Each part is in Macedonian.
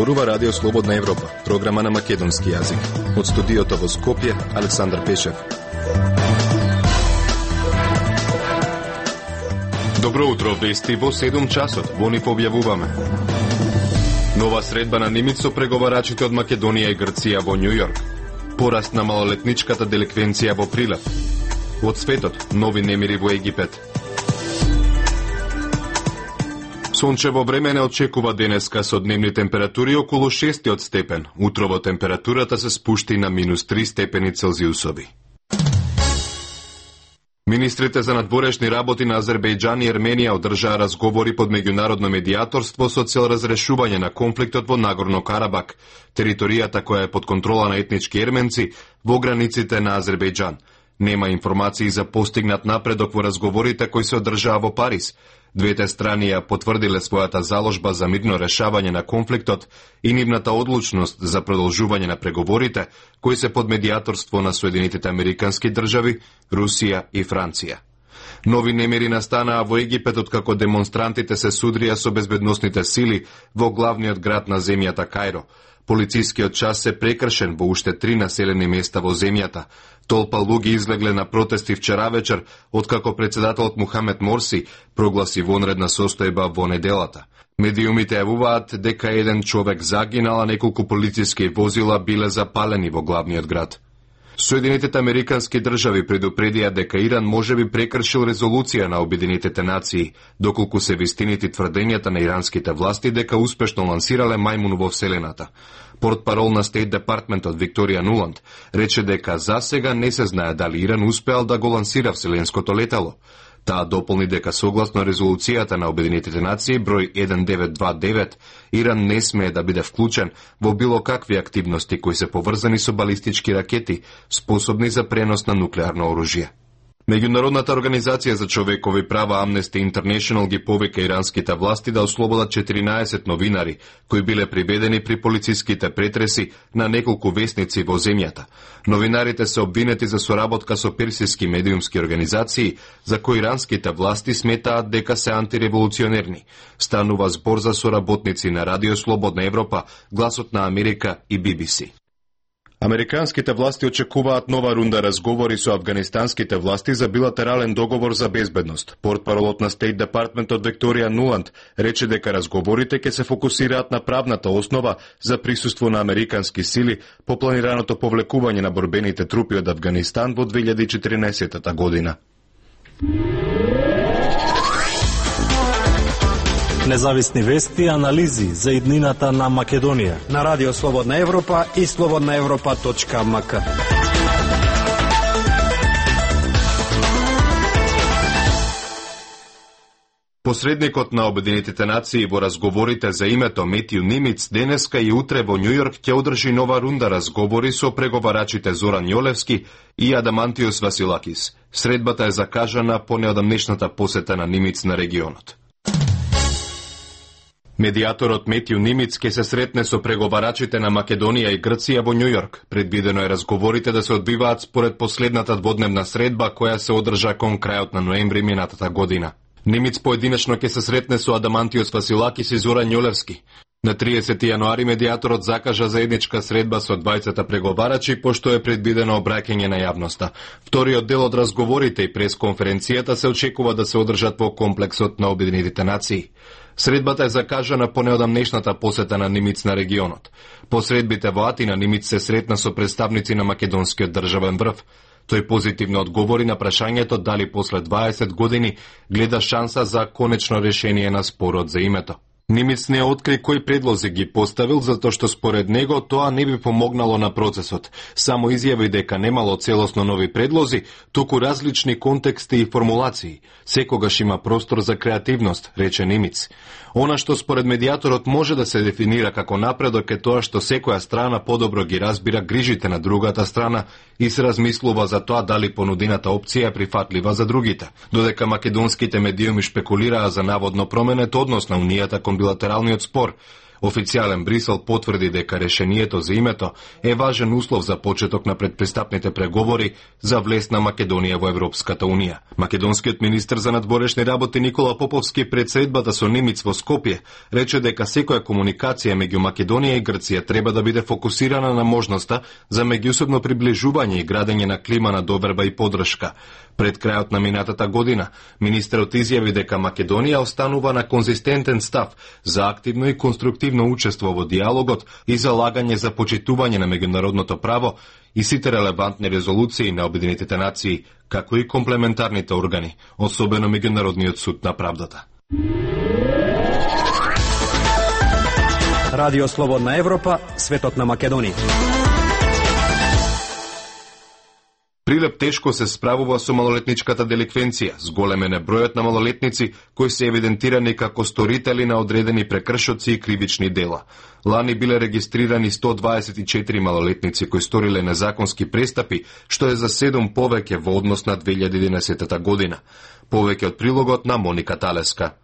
Зборува Радио Слободна Европа, програма на македонски јазик. Од студиото во Скопје, Александар Пешев. Добро утро, вести во 7 часот. Во ни објавуваме. Нова средба на Нимиц со преговарачите од Македонија и Грција во Њу Јорк. Пораст на малолетничката деликвенција во прилив. Од светот, нови немири во Египет. Сончево време не очекува денеска со дневни температури околу 6 степен. Утрово температурата се спушти на -3 степени Целзиусови. Министрите за надворешни работи на Азербејџан и Ерменија одржаа разговори под меѓународно медијаторство со цел разрешување на конфликтот во Нагорно Карабак, територијата која е под контрола на етнички ерменци во границите на Азербејџан. Нема информации за постигнат напредок во разговорите кои се одржаа во Париз. Двете страни ја потврдиле својата заложба за мирно решавање на конфликтот и нивната одлучност за продолжување на преговорите, кои се под медијаторство на Соединетите Американски држави, Русија и Франција. Нови немири настанаа во Египет откако демонстрантите се судрија со безбедносните сили во главниот град на земјата Кајро. Полицискиот час се прекршен во уште 3 населени места во земјата. Толпа луѓе излегле на протести вчера вечер, откако председателот Мухамед Морси прогласи вонредна состојба во неделата. Медиумите јавуваат дека еден човек загинал, а неколку полициски возила биле запалени во главниот град. Соединетите Американски држави предупредија дека Иран можеби прекршил резолуција на Обединетите нации, доколку се вистинити тврдењата на иранските власти дека успешно лансирале мајмун во Вселената. Портпарол на Стейт Департментот Викторија Нуланд рече дека за сега не се знае дали Иран успеал да го лансира вселенското летало. Таа дополни дека согласно резолуцијата на Обединетите нации број 1929, Иран не смее да биде вклучен во било какви активности кои се поврзани со балистички ракети, способни за пренос на нуклеарно оружје. Меѓународната организација за човекови права Amnesty International ги повика иранските власти да ослободат 14 новинари, кои биле приведени при полициските претреси на неколку весници во земјата. Новинарите се обвинети за соработка со персиски медиумски организации, за кои иранските власти сметаат дека се антиреволуционерни. Станува збор за соработници на Радио Слободна Европа, Гласот на Америка и BBC. Американските власти очекуваат нова рунда разговори со афганистанските власти за билатерален договор за безбедност. Портпаролот на Стейт Департментот Викторија Нуланд рече дека разговорите ќе се фокусираат на правната основа за присуство на американски сили по планираното повлекување на борбените трупи од Авганистан во 2014 година. Независни вести и анализи за иднината на Македонија на Радио Слободна Европа и slobodnaevropa.mk. Посредникот на Обединетите нации во разговорите за името Метју Нимиц денеска и утре во Њу Јорк ќе одржи нова рунда разговори со преговарачите Зоран Јолевски и Адамантиос Василакис. Средбата е закажана по неодамнешната посета на Нимиц на регионот. Медијаторот Метју Нимиц ќе се сретне со преговарачите на Македонија и Грција во Њу Јорк. Предвидено е разговорите да се одбиваат според последната дводневна средба која се одржа кон крајот на ноември минатата година. Нимиц поединечно ќе се сретне со Адамантиос Василакис и Зоран Јолевски. На 30 јануари медијаторот закажа заедничка средба со двајцата преговарачи, пошто е предвидено обраќање на јавноста. Вториот дел од разговорите и пресконференцијата се очекува да се одржат во комплексот на Обединетите нации. Средбата е закажана по неодамнешната посета на Нимиц на регионот. По средбите во Атина Нимиц се сретна со представници на македонскиот државен врв. Тој позитивно одговори на прашањето дали после 20 години гледа шанса за конечно решение на спорот за името. Нимиц не откри кои предлози ги поставил, затоа што според него тоа не би помогнало на процесот. Само изјави дека немало целосно нови предлози, туку различни контексти и формулации. Секогаш има простор за креативност, рече Нимиц. Она што според медијаторот може да се дефинира како напредок е тоа што секоја страна подобро ги разбира грижите на другата страна и се размислува за тоа дали понудената опција е прифатлива за другите. Додека македонските медиуми шпекулираа за наводно променет однос на унијата кон билатералниот спор, Официјален Брисел потврди дека решението за името е важен услов за почеток на предпристапните преговори за влез на Македонија во Европската унија. Македонскиот министер за надворешни работи Никола Поповски пред средбата со Немиц во Скопје рече дека секоја комуникација меѓу Македонија и Грција треба да биде фокусирана на можноста за меѓусебно приближување и градење на клима на доверба и поддршка. Пред крајот на минатата година, министерот изјави дека Македонија останува на конзистентен став за активно и конструктивно учество во диалогот и залагање за почитување на меѓународното право и сите релевантни резолуции на Обединетите нации, како и комплементарните органи, особено Меѓународниот суд на правдата. Радио Слободна Европа, светот на Македонија. Прилеп тешко се справува со малолетничката деликвенција, зголемен е бројот на малолетници кои се евидентирани како сторители на одредени прекршоци и кривични дела. Лани биле регистрирани 124 малолетници кои сториле незаконски престапи, што е за 7 повеќе во однос на 2011 година. Повеќе од прилогот на Моника Талеска.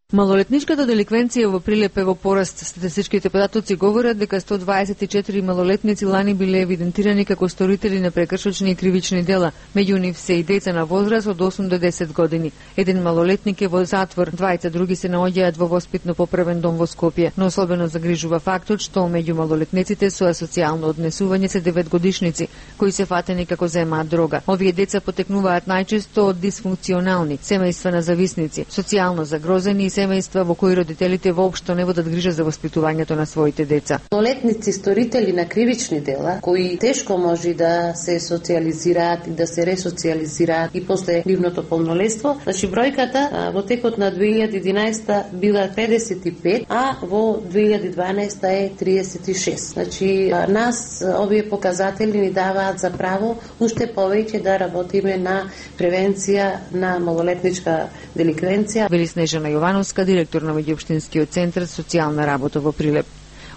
Малолетничката деликвенција во Прилеп е во пораст. Статистичките податоци говорат дека 124 малолетници лани биле евидентирани како сторители на прекршочни и кривични дела. Меѓу нив се и деца на возраст од 8 до 10 години. Еден малолетник е во затвор, двајца други се наоѓаат во воспитно-поправен дом во Скопје. Но особено загрижува фактот што меѓу малолетниците со асоцијално однесување се 9-годишници, кои се фатени како земаат дрога. Овие деца потекнуваат најчесто од дисфункционални семејства на зависници, социјално загрозени и семејства во кои родителите воопшто не водат грижа за воспитувањето на своите деца. Малолетници сторители на кривични дела, кои тешко може да се социјализираат и да се ресоцијализираат и после нивното полнолетство, значи бројката во текот на 2011 била 55, а во 2012 е 36. Значи нас овие показатели ни даваат за право уште повеќе да работиме на превенција на малолетничка деликвенција. Вели Снежана Јовановска, директор на меѓуопштинскиот центар социјална работа во Прилеп.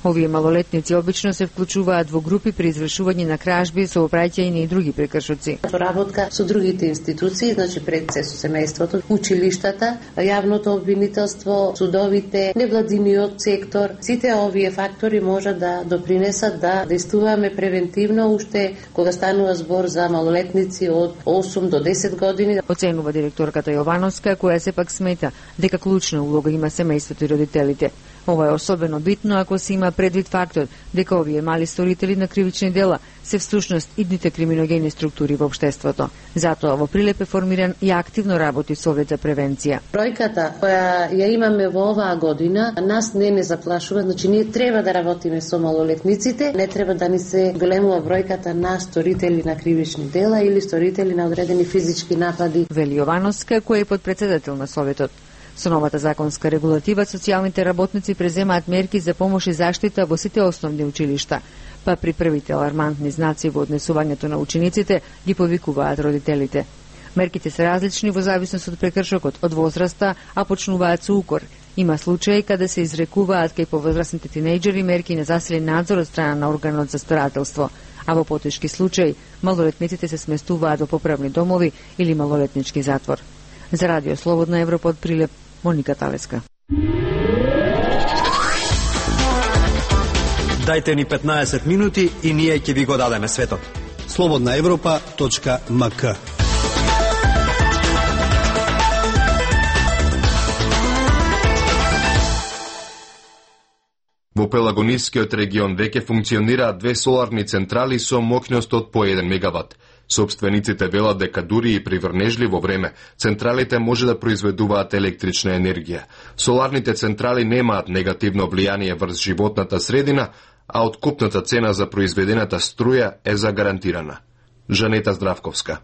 Овие малолетници обично се вклучуваат во групи при извршување на кражби, соопраќање и други прекршоци. Работка со другите институции, значи пред се со семејството, училиштата, јавното обвинителство, судовите, невладиниот сектор, сите овие фактори можат да допринесат да действуваме превентивно уште кога станува збор за малолетници од 8 до 10 години. Оценува директорката Јовановска, која сепак смета дека клучна улога има семејството и родителите. Ова е особено битно ако се има предвид фактот дека овие мали сторители на кривични дела се всушност идните криминогени структури во општеството. Затоа во Прилеп е формиран и активно работи Совет за превенција. Бројката која ја имаме во оваа година нас не заплашува, значи ние треба да работиме со малолетниците, не треба да ни се големува бројката на сторители на кривични дела или сторители на одредени физички напади. Вели Јовановска, која е подпредседател на Советот. Со новата законска регулатива, социјалните работници преземаат мерки за помош и заштита во сите основни училишта, па при првите алармантни знаци во однесувањето на учениците ги повикуваат родителите. Мерките се различни во зависност од прекршокот, од возраста, а почнуваат со укор. Има случаи каде се изрекуваат кај повозрасните тинејџери мерки на засилен надзор од страна на органот за старателство, а во потешки случаи малолетниците се сместуваат во поправни домови или малолетнички затвор. За Радио Слободна Европа од Прилеп, Моника Талеска. Дајте ни 15 минути и ние ќе ви го дадеме светот. slobodnaevropa.mk. Во Пелагонискиот регион веќе функционираат 2 соларни централи со моќност од по 1 мегават. Собствениците велат дека дури и при врнежливо време, централите може да произведуваат електрична енергија. Соларните централи немаат негативно влијание врз животната средина, а откупната цена за произведената струја е загарантирана. Жанета Здравковска.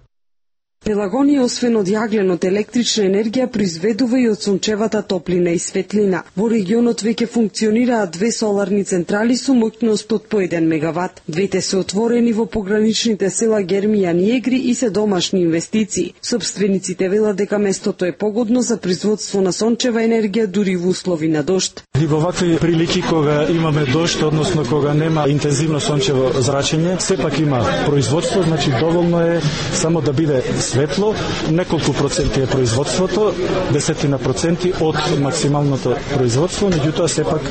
Пелагонија, освен од јагленот, електрична енергија произведува и од сончевата топлина и светлина. Во регионот веќе функционираат 2 соларни централи со моќност од по 1 мегават. Двете се отворени во пограничните села Гермијан и Егри и се домашни инвестиции. Собствениците велат дека местото е погодно за производство на сончева енергија дури во услови на дожд. И во вакви прилики кога имаме дожд, односно кога нема интензивно сончево зрачење, сепак има производство, значи доволно е само да биде светло, неколку проценти е производството, 10% од максималното производство, меѓутоа сепак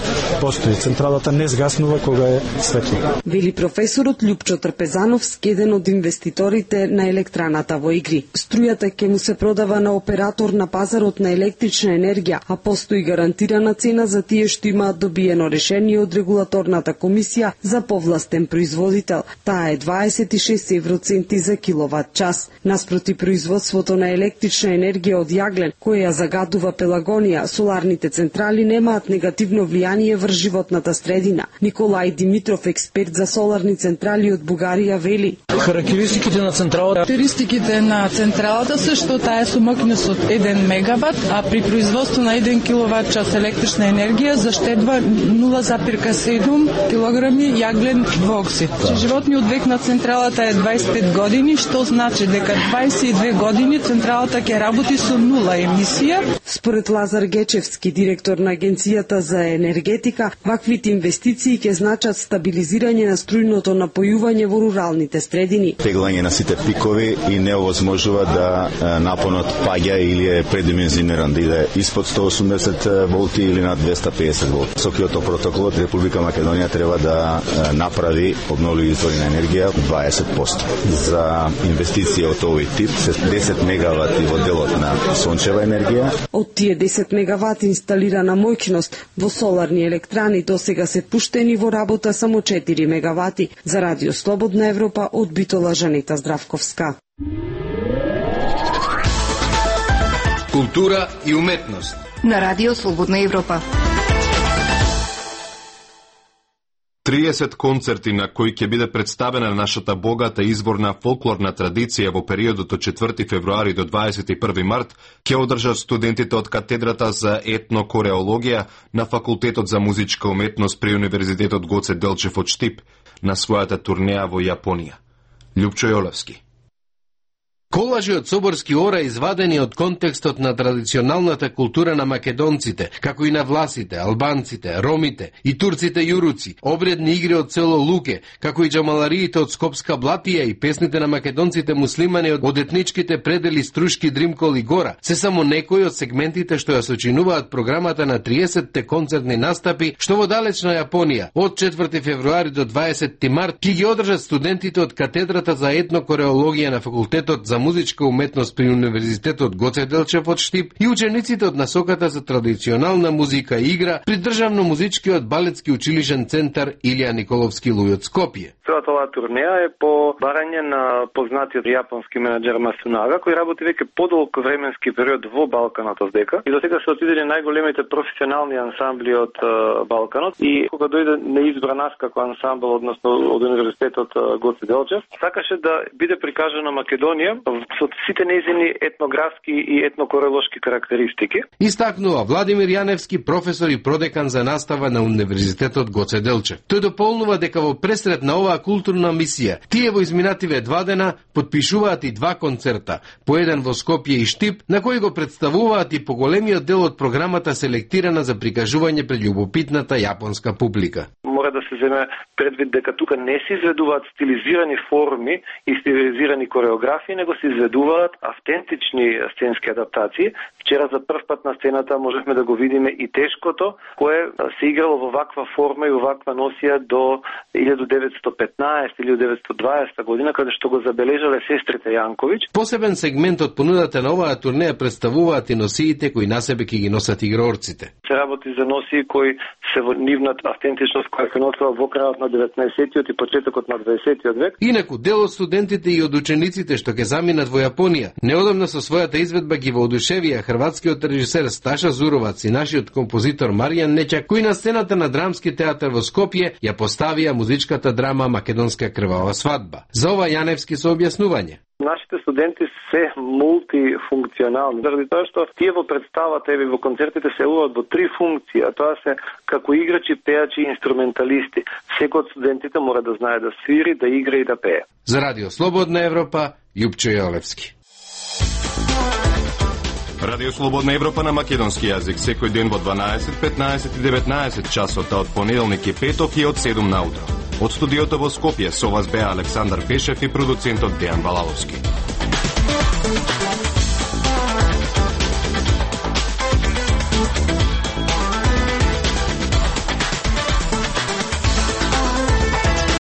постои. Централата не згаснува кога е светло. Вели професорот Љупчо Трпезановски, еден од инвеститорите на електраната во игри. Струјата ќе му се продава на оператор на пазарот на електрична енергија, а постои гарантирана цена за тие што имаат добиено решение од регулаторната комисија за повластен производител. Таа е 26 евроценти за киловат час. Наспроти производството на електрична енергија од јаглен, која загадува Пелагонија, соларните централи немаат негативно влијание врз животната средина. Николај Димитров, експерт за соларни централи од Бугарија, вели: Характеристиките на централата се што таа е со мощност од 1 мегават, а при производство на 1 киловат час електрична енергија заштедува 0,7 килограми јаглен двуоксид. Животниот век на централата е 25 години, што значи дека 22 години централата ќе работи со 0 емисија. Според Лазар Гечевски, директор на Агенцијата за енергетика, ваквите инвестиции ќе значат стабилизирање на струјното напојување во руралните средини. Теглање на сите пикови и не овозможува да напонот паѓа или е предимензиониран, да иде испод 180 волти или над 250 волти. Со Киото протоколот Република Македонија треба да направи обновливи извори на енергија 20%. За инвестиција од овој тип се 10 мегавати во делот на сончева енергија. Од тие 10 мегавати инсталирана моќност во соларни електрани досега се пуштени во работа само 4 мегавати. За Радио Слободна Европа од Битола, Жанета Здравковска. Култура и уметност на Радио Слободна Европа. 30 концерти на кои ќе биде представена нашата богата изворна фолклорна традиција во периодот од 4 февруари до 21 март ќе одржат студентите од катедрата за етнокореологија на Факултетот за музичка уметност при Универзитетот Гоце Делчев од Штип на својата турнеја во Јапонија. Љупчо Јолевски. Колажи од соборски ора извадени од контекстот на традиционалната култура на македонците, како и на власите, албанците, ромите и турците јуруци, обредни игри од село Луке, како и джамалариите од Скопска Блатија и песните на македонците муслимани од етничките предели Струшки, Дримкол и Гора, се само некои од сегментите што ја сочинуваат програмата на 30-те концертни настапи, што во далечна Јапонија од 4 февруари до 20 март ќе ги одржат студентите од катедрата за етнокореологија на Факултетот за музичка уметност при Универзитетот Гоце Делчев од Штип и учениците од насоката за традиционална музика и игра при Државно музичкиот балетски училишен центар Илија Николовски Луј од Скопје. Целата оваа турнеја е по барање на познатиот јапонски менаџер Масунага, кој работи веќе подолг временски период во Балканот оздека и досега се отидени најголемите професионални ансамбли од Балканот и кога дојде неизбра нас како ансамбл, односно од Универзитетот Гоце Делчев, сакаше да биде прикажана Македонија со сите нејзини етнографски и етнокорелошки карактеристики. Истакнува Владимир Јаневски, професор и продекан за настава на Универзитетот Гоце Делчев. Тој дополнува дека во пресред на оваа културна мисија, тие во изминативе 2 дена потпишуваат и 2 концерта, по еден во Скопје и Штип, на кои го представуваат и поголемиот дел од програмата селектирана за прикажување пред љубопитната јапонска публика. Мора да се земе предвид дека тука не се изведуваат стилизирани форми и стилизирани кореографии, него се изведуваат автентични сценски адаптации. Вчера за прв пат на сцената можевме да го видиме и тешкото, кое се играло во ваква форма и во ваква носија до 1915-1920 година, каде што го забележале сестрите Јанковиќ. Посебен сегмент од понудата на оваа турнеја представуваат и носиите кои на себе ќе ги носат игрорците. Се работи за носии кои се во нивната автентичност која се носела во крајот на 19-тиот и почетокот на 20-тиот век. Инаку дел од студентите и од учениците што ќе заминат во Јапонија, неодамна со својата изведба ги воодушевија хрватскиот режисер Сташа Зуровац и нашиот композитор Маријан Нечак, кои на сцената на Драмски театар во Скопје ја поставија музичката драма Македонска крвава свадба. За ова Јаневски со објаснување. Нашите студенти се мултифункционални, заради тоа што тие во представата и во концертите се улат во 3 функции, а тоа се како играчи, пеачи и инструменталисти. Секој од студентите мора да знае да свири, да игра и да пее. За Радио Слободна Европа, Љупчо Јолевски. Радио Слободна Европа на македонски јазик секој ден во 12, 15 и 19 часот, од понеделник и петок и од 7 наутро. Од студиото во Скопје со вас беа Александар Пешев и продуцентот Дејан Балаловски. Европа.